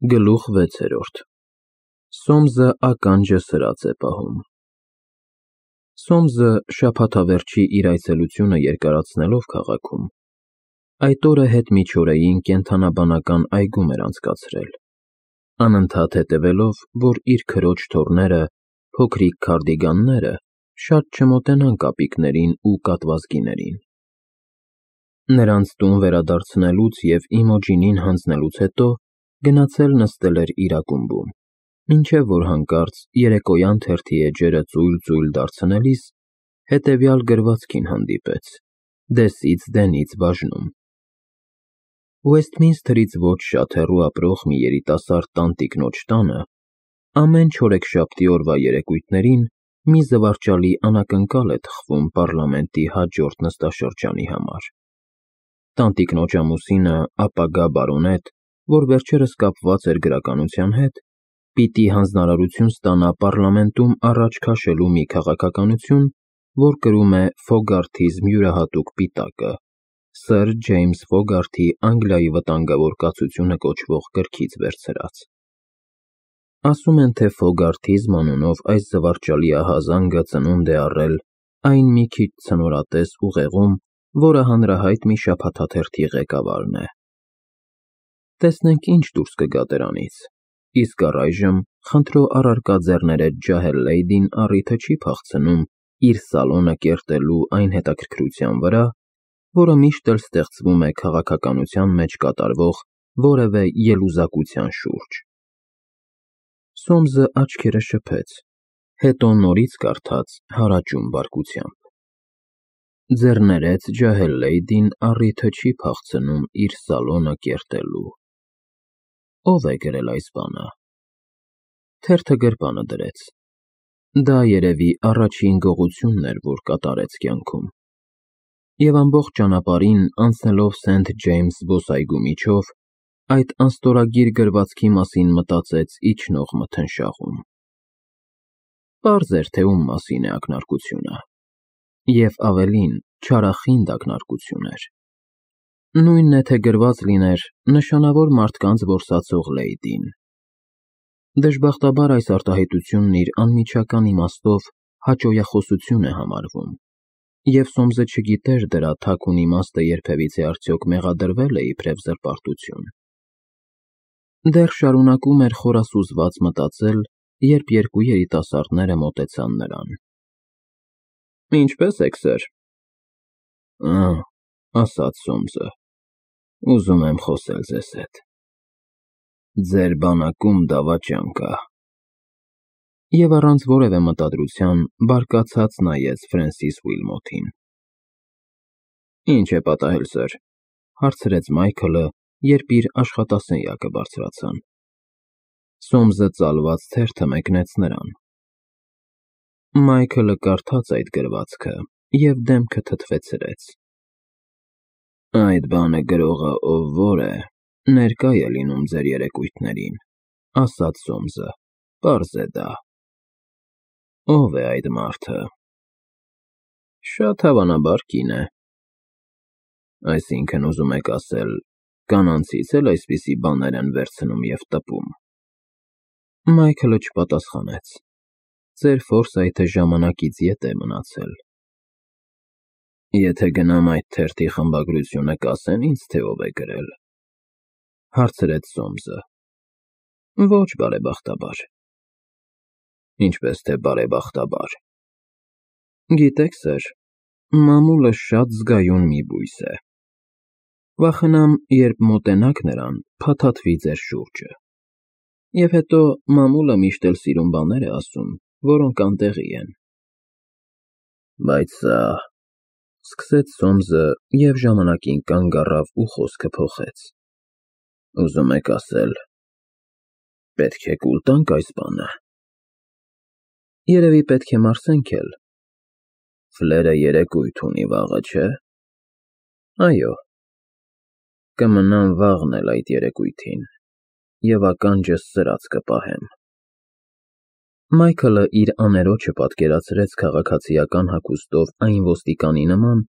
Գլուխ 6 Սոմզը ականջը սրած է պահում։ Սոմզը շաբաթավերջի իր այցելությունը երկարացնելով քաղաքում, այդ օրը հետմիջօրեին կենդանաբանական այգում էր անցկացրել, անընդհատ հետևելով, որ իր քրոջ թոռները, փոքրիկ քարդիգանները, շատ չմոտենան կապիկներին ու կատվազգիներին։ Նրանց տուն վերադարձնելուց և Իմոջինին հանձնելուց հետո գնացել նստել էր իր ակումբում, մինչև որ հանկարծ երեկոյան թերթի էջերը ծույլ դարձնելիս հետևյալ գրվածքին հանդիպեց, դեսից դենից բաժնում. Ուեսթմինսթրից ոչ շատ հեռու ապրող մի երիտասարդ տանտիկնոջ տանը ամեն չորեքշաբթի օրվա երեկույթներին մի զվարճալի անակնկալ է թխվում պառլամենտի հաջորդ նստաշրջանի համար։ Տանտիկնոջ ամուսինը, ապագա բարոնետ, որ վերջերս կապված էր գրականության հետ, պիտի հանձնարարություն ստանա պառլամենտում առաջ քաշելու մի քաղաքականություն, որ կրում է Ֆոգարթիզմ յուրահատուկ պիտակը, Սըր Ջեյմս Ֆոգարթի Անգլիայի վտանգավոր կացությունը կոչվող գրքից վերցրած։ Ասում են, թե Ֆոգարթիզմ անունով այս զվարճալի ահազանգը ծնունդ է առել այն մի քիչ ցնորատես ուղեղում, որը հանրահայտ մի շաբաթաթերթի ղեկավարն է։ Տեսնենք ինչ դուրս կգա դրանից, իսկ առայժմ խնդրո առարկա ձեռներետ ջահել լեյդին առիթը չի փախցնում իր սալոնը կերտելու այն հետաքրքրության վրա, որը միշտ էլ ստեղծվում է քաղաքականության մեջ կատարվող որևէ ելուզակության շուրջ։ Սոմզը աչքերը շփեց, հետո նորից կարդաց հարաճուն բարկությամբ. Ձեռներեց ջահել լեյդին առիթը չի փախցնում իր սալոնը կերտելու։ Ո՞վ է գրել այս բանը։ Թերթը գրպանը դրեց։ Դա երևի առաջին գողությունն էր, որ կատարեց կյանքում։ Եվ ամբողջ ճանապարհին, անցնելով Սենթ Ջեյմս զբոսայգու միջով, այդ անստորագիր գրվածքի մասին մտածեց իջնող մթնշաղում։ Պարզ էր, թե ում մասին է ակնարկությունը, և ավելին, չարախինդ ակնարկություն էր։ Նույնն է, թե գրված լիներ նշանավոր մարդկանց որսացող լեյդին։ Դժբախտաբար այս արտահայտությունն իր անմիջական իմաստով հաճոյախոսություն է համարվում, և Սոմզը չգիտեր դրա թաքուն իմաստը երբևիցե արդյոք մեղադրվե՞լ է իբրև զրպարտություն։ Դեռ շարունակում էր խորասուզված մտածել, երբ երկու երիտասարդները մոտեցան նրան։ Ինչպե՞ս եք, սըր։ Ասաց Սոմզը, ուզում եմ խոսել ձեզ հետ։ Ձեր բանակում դավաճան կա։ Եվ առանց որևէ մտադրության բարկացած նայեց Ֆրենսիս Ուիլմոթին։ Ինչ է պատահել, սըր, հարցրեց Մայքլը, երբ իր աշխատասենյակը բարձրացան։ Սոմզը ծալված թերթը մեկնեց նրան։ Մայքլը կարդաց այդ գրվածքը և դեմքը թթվեցրեց։ Այդ բանը գրողը ով որ է, ներկա է լինում ձեր երեկույթներին, ասաց Սոմզը, պարզ է դա։ Ո՞վ է այդ մարդը։ Շատ հավանաբար կին է։ Այսինքն ուզում եք ասել, կանանցից էլ այսպիսի բաներ են վերցնում և տպում։ Մայքլը չպատասխանեց։ Ձեր Ֆորսայթը ժամանակից ետ է մնացել։ Եթե գնամ այդ թերթի խմբագրությունը կասեն ինձ, թե ով է գրել, հարցրեց Սոմզը։ Ոչ բարեբախտաբար։ Ինչպես թե բարեբախտաբար։ Գիտեք, սըր, մամուլը շատ զգայուն մի բույս է։ Վախենամ, երբ մոտենաք նրան, փաթաթվի ձեր շուրջը։ Եվ հետո մամուլը միշտ էլ սիրուն բաներ է ասում, որոնք անտեղի են։ Բայց սա… սկսեց Սոմզը և ժամանակին կանգ առավ ու խոսքը փոխեց։ Ուզում եք ասել, պետք է կուլ տանք այս բանը։ Երևի պետք է մարսենք էլ։ Ֆլերը երեկույթ ունի վաղը, չէ։ Այո։ Կմնամ վաղն էլ այդ երեկույթին և ականջս սրած կպահեմ։ Մայքլը իր աներոջը պատկերացրեց քաղաքացիական հագուստով այն ոստիկանի նման,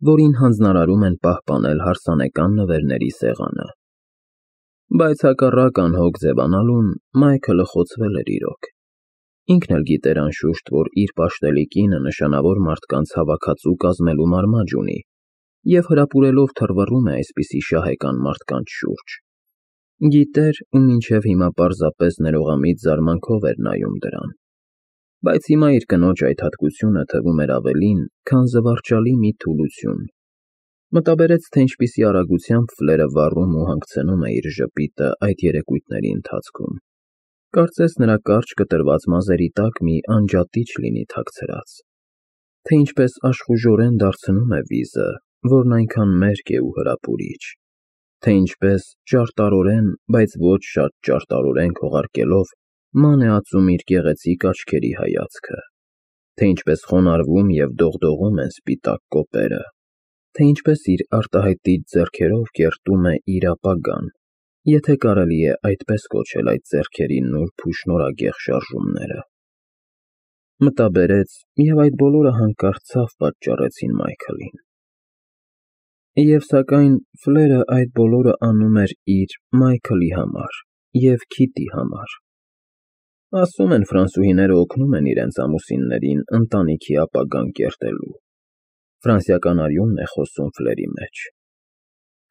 որին հանձնարարում են պահպանել հարսանեկան նվերների սեղանը։ Բայց հակառակ անհոգ ձևանալուն Մայքլը խոցվել էր իրոք։ Ինքն էլ գիտեր անշուշտ, որ իր պաշտելի կինը նշանավոր մարդկանց հավաքածու կազմելու մարմաջ ունի և հրապուրելով թռվռում է այսպիսի շահեկան մարդկանց շուրջ։ Գիտեր ու մինչև հիմա պարզապես ներողամիտ զարմանքով էր նայում դրան։ Բայց հիմա իր կնոջ այդ հատկությունը թվում էր ավելին, քան զվարճալի մի թուլություն։ Մտաբերեց, թե ինչպիսի արագությամբ Ֆլերը վառում ու հանգցնում է իր ժպիտը այդ երեկույթների ընթացքում։ Կարծես նրա կարճ կտրված մազերի տակ մի անջատիչ լինի թաքցրած։ Թե ինչպես աշխուժորեն դարձնում է վիզը, որն այնքան մերկ է ու հրապուրիչ։ Թե ինչպես ճարտարորեն, բայց ոչ շատ ճարտարորեն քողարկելով ման է ածում իր գեղեցիկ աչքերի հայացքը։ Թե ինչպես խոնարհվում և դողդողում են սպիտակ կոպերը։ Թե ինչպես իր արտահայտիչ ձեռքերով կերտում է իր ապագան, եթե կարելի է այդպես կոչել այդ ձեռքերի նուրբ ու շնորհագեղ շարժումները։ Մտաբերեց, և այդ բոլորը հանկարծ ցավ պատճառեցին Մայքլին։ Եվ սակայն Ֆլերը այդ բոլորը անում էր իր Մայքլի համար և Քիթի համար։ Ասում են, ֆրանսուհիները օգնում են իրենց ամուսիններին ընտանիքի ապագան կերտելու։ Ֆրանսիական արյունն է խոսում Ֆլերի մեջ։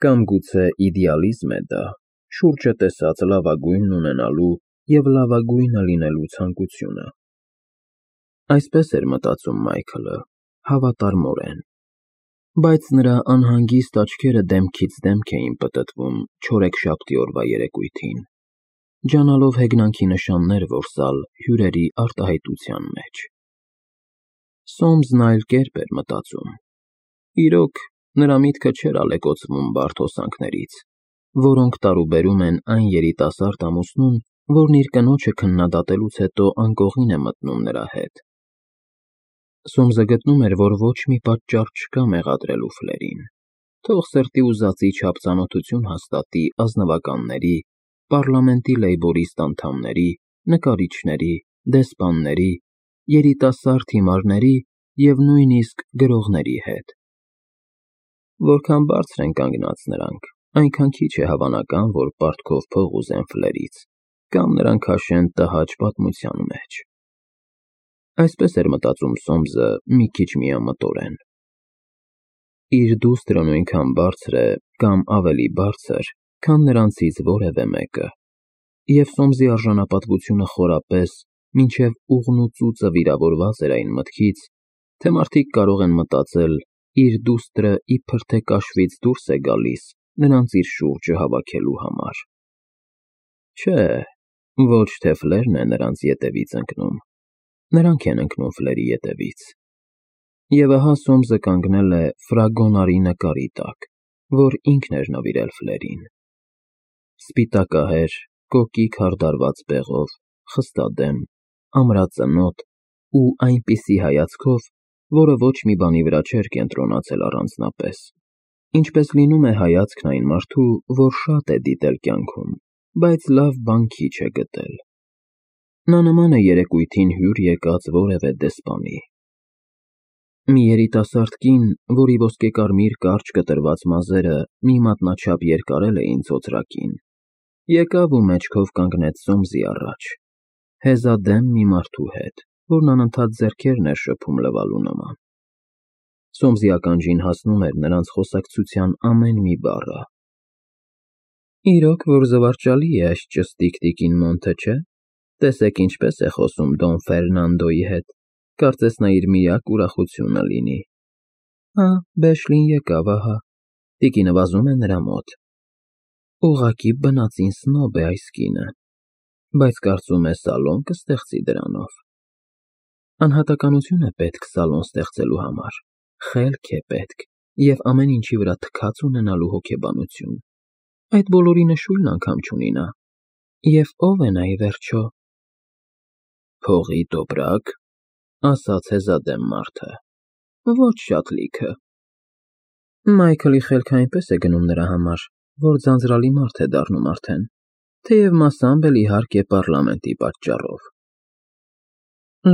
Կամ գուցե իդեալիզմ է դա, շուրջը տեսած լավագույնն ունենալու և լավագույնը լինելու ցանկությունը։ Այսպես էր մտածում Մայքլը, հավատարմորեն։ Բայց նրա անհանգիստ աչքերը դեմքից դեմք էին պտտվում չորեքշաբթի օրվա երեկույթին, ջանալով հեգնանքի նշաններ որսալ հյուրերի արտահայտության մեջ։ Սոմսն այլ կերպ էր մտածում։ Իրոք, նրա միտքը չէր ալեկոծվում բարդ հոսանքներից, որոնք տարուբերում են այն երիտասարդ ամուսնուն, որն իր կնոջը քննադատելուց հետո անկողին է մտնում նրա հետ։ Սոմսը գտնում էր, որ ոչ մի պատճառ չկա մեղադրելու Ֆլերին։ Թող սրտի ուզածի չափ ծանոթություն հաստատի ազնվականների, պառլամենտի լեյբորիստ անդամների, նկարիչների, դեսպանների, երիտասարդ հիմարների և նույնիսկ գրողների հետ։ Որքան բարձր են կանգնած նրանք, այնքան քիչ է հավանական, որ պարտքով փող ուզեն Ֆլերից, կամ նրան քաշեն տհաճ պատմության մեջ։ Այսպես էր մտածում Սոմսը մի քիչ միամտորեն։ Իր դուստրը նույնքան բարձր է, կամ ավելի բարձր, քան նրանցից որևէ մեկը, և Սոմսի արժանապատվությունը խորապես, մինչև ուղն ու ծուծը վիրավորված էր այն մտքից, թե մարդիկ կարող են մտածել իր դուստրը իբր թե կաշվից դուրս է գալիս նրանց իր շուրջը հավաքելու համար։ Չէ, ոչ թե Ֆլերն է նրանց ետևից ընկնում, նրանք են ընկնում Ֆլերի ետևից։ Եվ ահա Սոմսը կանգնել է ֆրագոնարի նկարի տակ, որ ինքն էր նվիրել Ֆլերին։ Սպիտակահեր, կոկիկ հարդարված բեղով, խստադեմ, ամրածնոտ ու այնպիսի հայացքով, որը ոչ մի բանի վրա չէր կենտրոնացել առանձնապես, ինչպես լինում է հայացքն այն մարդու, որ շատ է դիտել կյանքում, բայց լավ բան քիչ է գտել։ Նա նման է երեկույթին հյուր եկած որևէ դեսպանի։ Մի երիտասարդ կին, որի ոսկեկարմիր կարճ կտրված մազերը մի մատնաչափ երկարել էին ծոծրակին, եկավ ու մեջքով կանգնեց Սոմսի առաջ, հեզադեմ մի մարդու հետ, որն անընդհատ ձեռքերն էր շփում լվալու նման։ Սոմսի ականջին հասնում էր նրանց խոսակցության ամեն մի բառը։ Իրոք որ զվարճալի է այս ճստիկ տիկին Մոնթը, չէ՞։ Տեսեք ինչպես է խոսում Դոն Ֆերնանդոյի հետ, կարծես նա իր միակ ուրախությունը լինի։ Հա, Բեշլին եկավ, ահա, տիկինը վազում է նրա մոտ։ Ուղղակի բնածին սնոբ է այս կինը, բայց կարծում է սալոն կստեղծի դրանով։ Անհատականություն է պետք սալոն ստեղծելու համար, խելք է պետք և ամեն ինչի վրա թքած ունենալու հոգեբանություն։ Այդ բոլորի նշույլն անգամ չունի նա։ Եվ ո՞վ է նա ի վերջո։ Փողի տոպրակ, ասաց հեզադեմ մարդը։ Ոչ շատ լիքը։ Մայքլի խելքը այնպես է գնում նրա համար, որ ձանձրալի մարդ է դառնում արդեն, թեև մասամբ էլ իհարկե պառլամենտի պատճառով։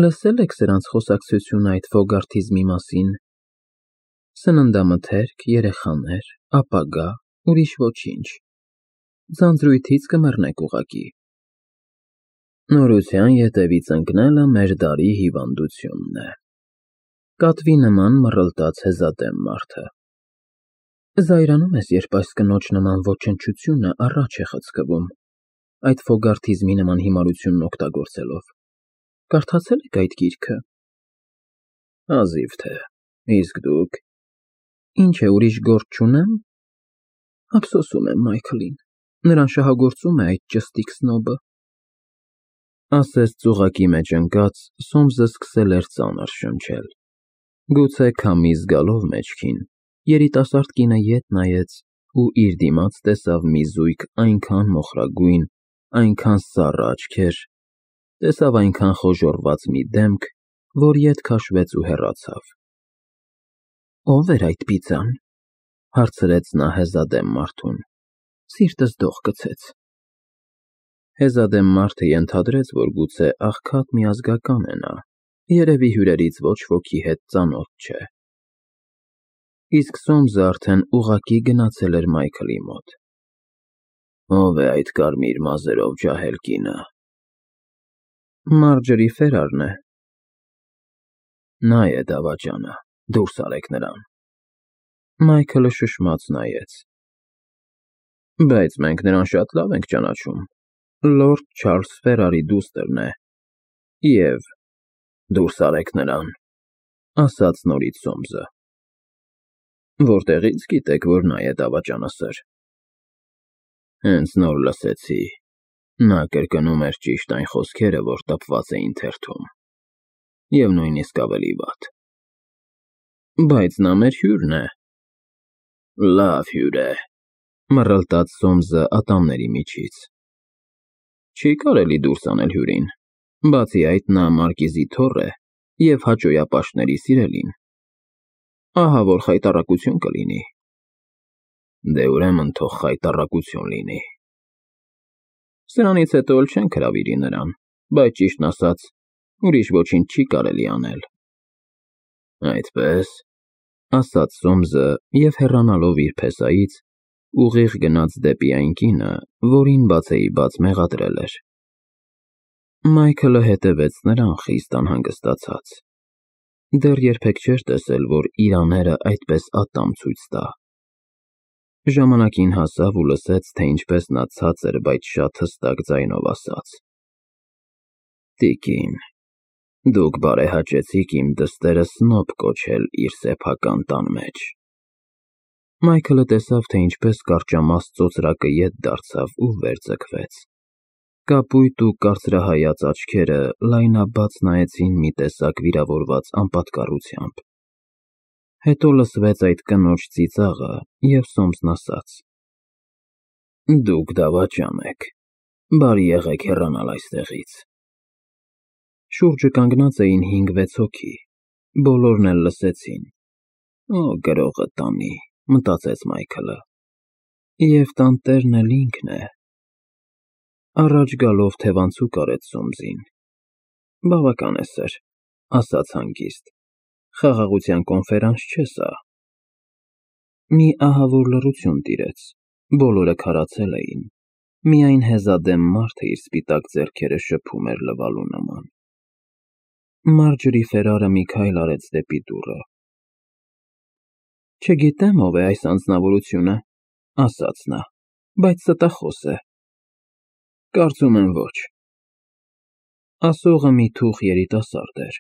Լսել եք սրանց խոսակցությունը այդ ֆոգարթիզմի մասին։ Սննդամթերք, երեխաներ, ապագա, ուրիշ ոչինչ։ ձանձրույթից կմեռնեք ուղղակի։ Նորության ետևից ընկնելը մեր դարի հիվանդությունն է, կատվի նման մռլտաց հեզադեմ մարդը։ Զայրանում ես, երբ այս կնոջ նման ոչնչությունը առաջ է խցկվում, այդ ֆոգարտիզմի նման հիմարությունն օգտագործելով։ Կարդացել եք այդ գիրքը։ Հազիվ թե, իսկ դուք։ Ինչ է, ուրիշ գործ չունեմ։ Ափսոսում եմ Մայքլին, նրան շահագործում է այդ ճստիկ սնոբը։ Ասես ծուղակի մեջ ընկած, Սոմսը սկսել էր ծանր շնչել։ Գուցե քամի զգալով մեջքին, երիտասարդ կինը ետ նայեց ու իր դիմաց տեսավ մի զույգ այնքան մոխրագույն, այնքան սառը աչքեր, տեսավ այնքան խոժոռված մի դեմք, որ ետ քաշվեց ու հեռացավ։ Ո՞վ էր այդ պիծան, հարցրեց նա հեզադեմ մարդուն, սիրտս դող գցեց։ Հեզադեմ մարդը ենթադրեց, որ գուցե աղքատ միազգական է նա, երևի հյուրերից ոչ ոքի հետ ծանոթ չէ։ Իսկ Սոմսը արդեն ուղղակի գնացել էր Մայքլի մոտ։ Ո՞վ է այդ կարմիր մազերով ջահել կինը։ Մարջերի Ֆերարն է։ Նա է դավաճանը, դուրս արեք նրան։ Մայքլը շշմած նայեց։ Բայց մենք նրան շատ լավ ենք ճանաչում, Լորդ Չարլզ Ֆերարի դուստրն է, և դուրս արեք նրան, ասաց նորից Սոմսը։ Որտեղից գիտեք, որ նա է դավաճանասր։ Հենց նոր լսեցի, նա կրկնում էր ճիշտ այն խոսքերը, որ տպված էին թերթում, և նույնիսկ ավելի վատ։ Բայց նա մեր հյուրն է։ Լավ հյուր է, մռլտաց Սոմսը ատամների միջից։ Չի կարելի դուրս անել հյուրին, բացի այդ նա մարկիզի թոռ է և հաճոյապաշտների սիրելին։ Ահա որ խայտառակություն կլինի։ Դե ուրեմն թող խայտառակություն լինի։ Սրանից հետո էլ չենք հրավիրի նրան, բայց ճիշտն ասած, ուրիշ ոչինչ չի կարելի անել։ Այդպես, ասաց Սոմսը և հեռանալով իր փեսայից, ուղիղ գնաց դեպի այն կինը, որին բացեիբաց մեղադրել էր։ Մայքլը հետևեց նրան խիստ անհանգստացած։ Դեռ երբեք չէր տեսել, որ իր աները այդպես ատամ ցույց տա։ Ժամանակին հասավ ու լսեց, թե ինչպես նա ցածր, բայց շատ հստակ ձայնով ասաց. Տիկին, դուք բարեհաճեցիք իմ դստերը սնոբ կոչել իր սեփական տան մեջ։ Մայքլը տեսավ, թե ինչպես կարճամաստ ծոծրակը ետ դարձավ ու վեր ձգվեց։ Կապույտ ու կարծրահայաց աչքերը լայնաբաց նայեցին մի տեսակ վիրավորված անպատկառությամբ։ Հետո լսվեց այդ կնոջ ծիծաղը, և Սոմսն ասաց. Դուք դավաճան եք, բարի եղեք հեռանալ այստեղից։ Շուրջը կանգնած էին 5-6 հոգի, բոլորն էլ լսեցին։ Օ, գրողը տանի, մտածեց Մայքլը, և տանտերն էլ ինքն է։ Առաջ գալով թևանցուկ արեց Սոմսին։ Բավական է, սըր, ասաց հանգիստ, խաղաղության կոնֆերանս չէ սա։ Մի ահավոր լռություն տիրեց, բոլորը քարացել էին, միայն հեզադեմ մարդը իր սպիտակ ձեռքերը շփում էր լվալու նման։ Մարջերի Ֆերարը մի քայլ արեց դեպի դուռը։ Չգիտեմ ով է այս անձնավորությունը, ասաց նա, բայց ստախոս է։ Կարծում եմ ոչ։ Ասողը մի թուխ երիտասարդ էր,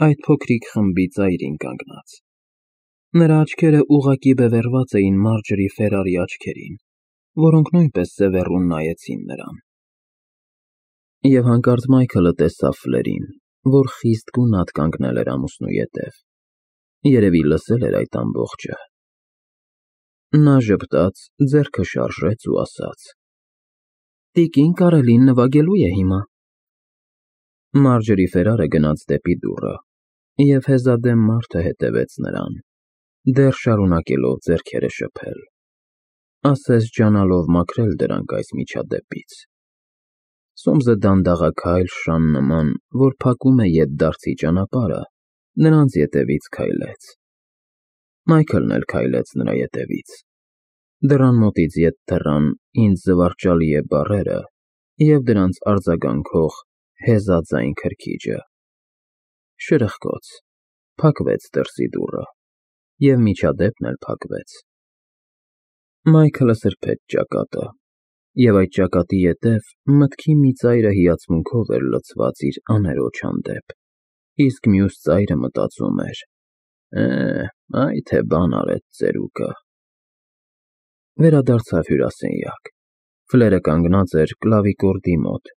այդ փոքրիկ խմբի ծայրին կանգնած։ Նրա աչքերը ուղղակի բևեռված էին Մարջերի Ֆերարի աչքերին, որոնք նույնպես սևեռուն նայեցին նրան։ Եվ հանկարծ Մայքլը տեսավ Ֆլերին, որ խիստ գունատ կանգնել էր ամուսնու ետև։ Երևի լսել էր այդ ամբողջը։ Նա ժպտաց, ձեռքը շարժեց ու ասաց. Տիկին Կարելին նվագելու է հիմա։ Մարջերի Ֆերարը գնաց դեպի դուռը, և հեզադեմ մարդը հետևեց նրան, դեռ շարունակելով ձեռքերը շփել, ասես ջանալով մաքրել դրանք այս միջադեպից։ Սոմսը դանդաղաքայլ շան նման, որ փակում է ետդարձի ճանապարհը, նրանց ետևից քայլեց։ Մայքլն էլ քայլեց նրա ետևից։ Դռան մոտից ետ թռան «ինձ զվարճալի է» բառերը և դրանց արձագանքող հեզաձայն քրքիջը։ Շրխկոց, փակվեց դրսի դուռը, և միջադեպն էլ փակվեց։ Մայքլը սրբեց ճակատը, և այդ ճակատի ետև մտքի մի ծայրը հիացմունքով էր լցված իր աներոջ հանդեպ, իսկ մյուս ծայրը մտածում էր. «Այ թե բան արեց ծերուկը»։ Վերադարձավ հյուրասենյակ։ Ֆլերը կանգնած էր կլավիկորդի մոտ,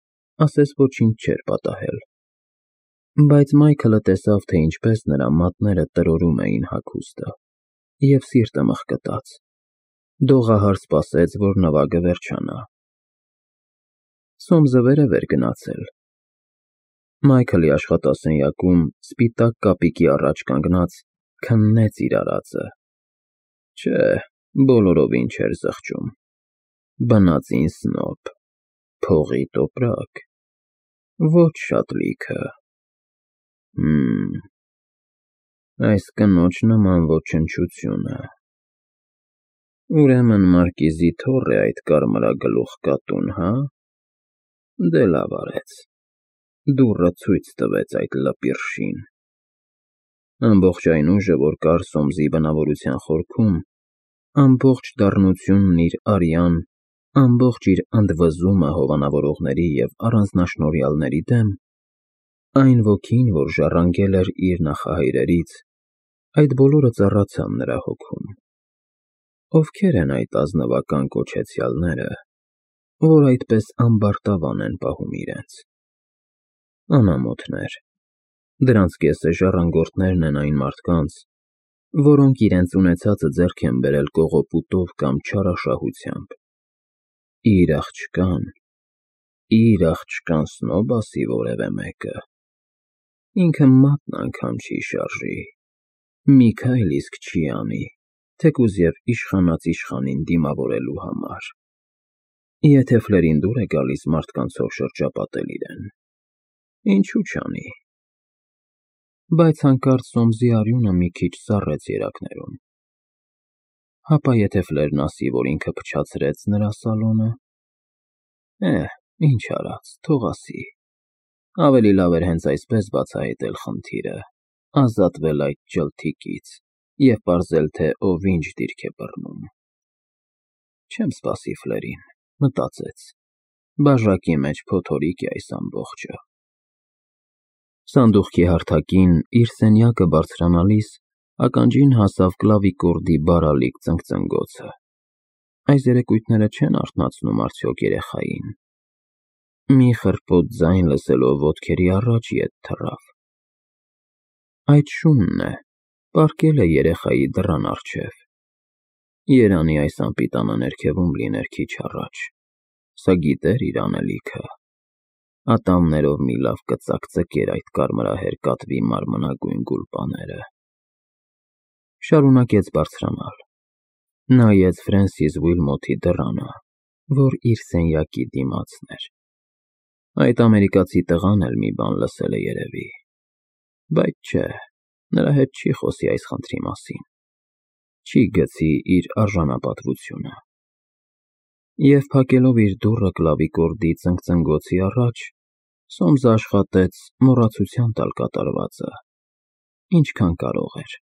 ասես ոչինչ չէր պատահել։ Բայց Մայքլը տեսավ, թե ինչպես նրա մատները տրորում էին հագուստը, և սիրտը մղկտաց։ Դողահար սպասեց, որ նվագը վերջանա։ Սոմսը վերև էր գնացել։ Մայքլի աշխատասենյակում սպիտակ կապիկի առաջ կանգնած քննեց իր արածը։ Չէ, բոլորովին չէր զղջում։ Բնածին սնոբ, փողի տոպրակ, ոչ շատ լիքը։ Այս կնոջ նման ոչնչությունը… Ուրեմն մարկիզի թոռ է այդ կարմրագլուխ կատուն, հա՞։ Դե լավ արեց, դուռը ցույց տվեց այդ լպիրշին։ Ամբողջ այն ուժը, որ կար Սոմսի բնավորության խորքում, ամբողջ դառնությունն իր արյան, ամբողջ իր ընդվզումը հովանավորողների և առանձնաշնորհյալների դեմ, այն ոգին, որ ժառանգել էր իր նախահայրերից, այդ բոլորը ծառացան նրա հոգում։ Ովքեր են այդ ազնվական կոչեցյալները, որ այդպես ամբարտավան են պահում իրենց։ Անամոթներ։ Դրանց կեսը ժառանգորդներն են այն մարդկանց, որոնք իրենց ունեցածը ձեռք են բերել կողոպուտով կամ չարաշահությամբ։ Իր աղջկան սնոբ ասի որևէ մեկը, ինքը մատն անգամ չի շարժի, մի քայլ իսկ չի անի, թեկուզ և իշխանած իշխանին դիմավորելու համար։ Եթե ֆլերին դուր է գալիս մարդկանցով շրջապատել իրեն, ինչու չանի։ Բայց հանկարծ Սոմսի արյունը մի քիչ սառեց երակներում։ Հապա եթե ֆլերն ասի, որ ինքը փչացրեց նրա սալոնը… Ինչ արած, թող ասի։ Ավելի լավ էր հենց այսպես բացահայտել խնդիրը, ազատվել այդ ջլթիկից և պարզել, թե ով ինչ դիրք է բռնում։ Չեմ սպասի ֆլերին, մտածեց, բաժակի մեջ փոթորիկ է այս ամբողջը։ Սանդուղքի հարթակին, իր սենյակը բարձրանալիս, ականջին հասավ կլավիկորդի բարալիկ ծնգծնգոցը։ Այս երեկույթները չեն արթնացնում արդյոք երեխային։ Մի խռպոտ ձայն լսելով ոտքերի առաջ ետ թռավ։ Այդ շունն է, պառկել է երեխայի դռան առջև։ Երանի այս անպիտանը ներքևում լիներ քիչ առաջ, սա գիտեր իր անելիքը։ Ատամներով մի լավ կծակծկեր այդ կարմրահեր կատվի մարմնագույն գուլպաները։ Շարունակեց բարձրանալ։ Նայեց Ֆրենսիս Ուիլմոթի դռանը, որ իր սենյակի դիմացն էր։ Այդ ամերիկացի տղան էլ մի բան լսել է երևի։ Բայց չէ, նրա հետ չի խոսի այս խնդրի մասին, չի գցի իր արժանապատվությունը։ Եվ փակելով իր դուռը կլավիկորդի ծնգծնգոցի առաջ, Սոմսը աշխատեց մոռացության տալ կատարվածը, ինչքան կարող էր։